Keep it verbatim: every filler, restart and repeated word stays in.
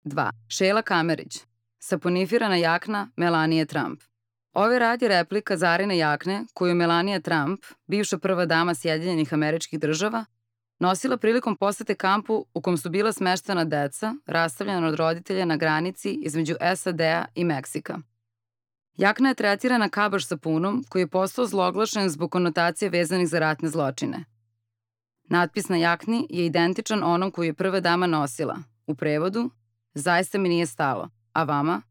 dva. Šejla Kamerić. Saponifirana jakna Melanije Trump. Ovaj rad je replika Zarine jakne koju Melanija Trump, bivša prva dama Sjedinjenih Američkih Država, nosila prilikom posete kampu u kom su bila smeštena deca, rastavljena od roditelja na granici između S A D-a i Meksika. Jakna je tretirana kabaš sapunom koji je postao zloglašen zbog konotacije vezanih za ratne zločine. Natpis na jakni je identičan onom koji je prva dama nosila. U prevodu, zaista mi nije stalo, a vama?